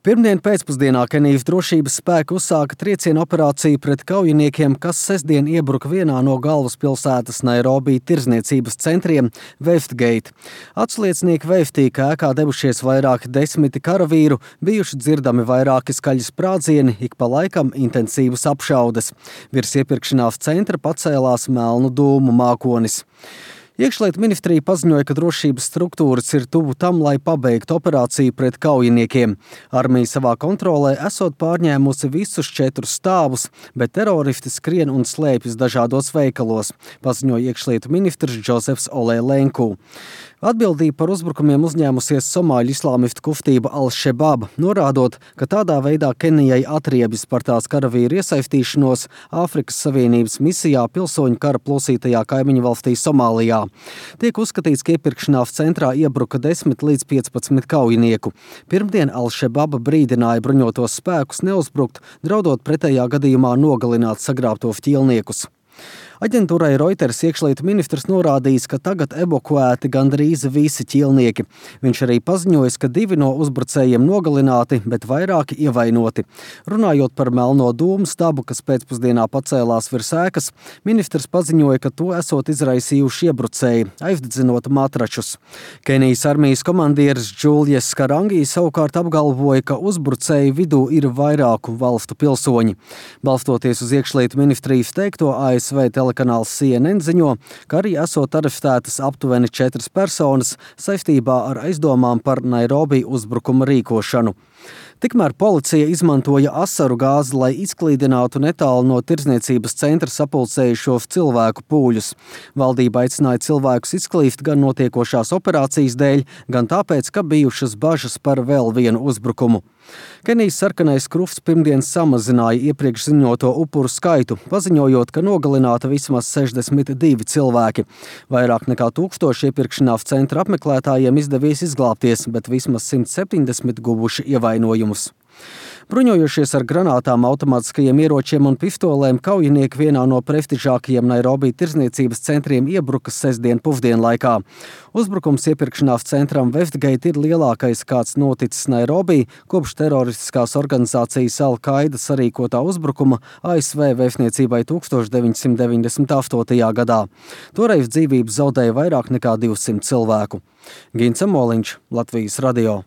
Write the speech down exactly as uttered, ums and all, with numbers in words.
Pirmdien pēcpusdienā Kenijas drošības spēki uzsāka triecienu operāciju pret kaujiniekiem, kas sestdien iebruka vienā no galvaspilsētas Nairobi tirdzniecības centriem – Westgate. Atsliecinieki veiftī, ka ēkā devušies vairāki desmiti karavīru, bijuši dzirdami vairāki skaļi sprādzieni, ik pa laikam intensīvas apšaudes. Virs iepirkšanās centra pacēlās melnu dūmu mākonis. Iekšlietu ministrija paziņoja, ka drošības struktūras ir tuvu tam, lai pabeigtu operāciju pret kaujiniekiem. Armija savā kontrolē esot pārņēmusi visus četrus stāvus, bet teroristi skrien un slēpjas dažādos veikalos, paziņoja iekšlietu ministrs Džozefs Olē Lenku. Atbildību par uzbrukumiem uzņēmusies somāļu islāmistu kustība Al-Shabaab, norādot, ka tādā veidā Kenijai atriebjas par tās karavīru iesaistīšanos Āfrikas Savienības misijā pilsoņu kara plosītajā kaimiņu valstī Somālijā. Tiek uzskatīts, ka iepirkšanās centrā iebruka desmit līdz piecpadsmit kaujinieku. Pirmdien Al-Shabaab brīdināja bruņotos spēkus neuzbrukt, draudot pretējā gadījumā nogalināt sagrābtos ķīlniekus. Aģentūrai Reuters iekšlietu ministrs norādījis, ka tagad evakuēti gandrīz visi ķīlnieki. Viņš arī paziņojis, ka divi no uzbrucējiem nogalināti, bet vairāki ievainoti. Runājot par melno dūmu stabu, kas pēcpusdienā pacēlās virs ēkas, ministrs paziņoja, ka to esot izraisījuši iebrucēji, aizdedzinot matračus. Kenijas armijas komandieris Džulijas Karangi savukārt apgalvoja, ka uzbrucēju vidū ir vairāku valstu pilsoņi. Balstoties uz iekšlietu ministrijas teikto, A S V telekanāls C N N ziņo, ka arī esot arestētas aptuveni četras personas saistībā ar aizdomām par Nairobi uzbrukuma rīkošanu. Tikmēr policija izmantoja asaru gāzi, lai izklīdinātu netālu no tirdzniecības centra sapulcējušos cilvēku pūļus. Valdība aicināja cilvēkus izklīst gan notiekošās operācijas dēļ, gan tāpēc, ka bijušas bažas par vēl vienu uzbrukumu. Kenijas sarkanais krusts pirmdien samazināja iepriekš ziņoto upuru skaitu, paziņojot, ka nogalināta vismaz sešdesmit divi cilvēki. Vairāk nekā tūkstoši iepirkšanās centra apmeklētājiem izdevies izglābties, bet vismaz simt septiņdesmit guvuši ievainojumus. Bruņojošies ar granātām, automātiskajiem ieročiem un pistolēm, kaujinieki vienā no prestižākajiem Nairobi tirdzniecības centriem iebruka sestdien pusdienlaikā. Uzbrukums iepirkšanās centram Westgate ir lielākais, kāds noticis Nairobi, kopš teroristiskās organizācijas Al-Qaida sarīkotā uzbrukuma A S V vēstniecībai tūkstoš deviņsimt deviņdesmit astotajā gadā. Toreiz dzīvības zaudēja vairāk nekā divsimt cilvēku. Gins Amoliņš, Latvijas radio.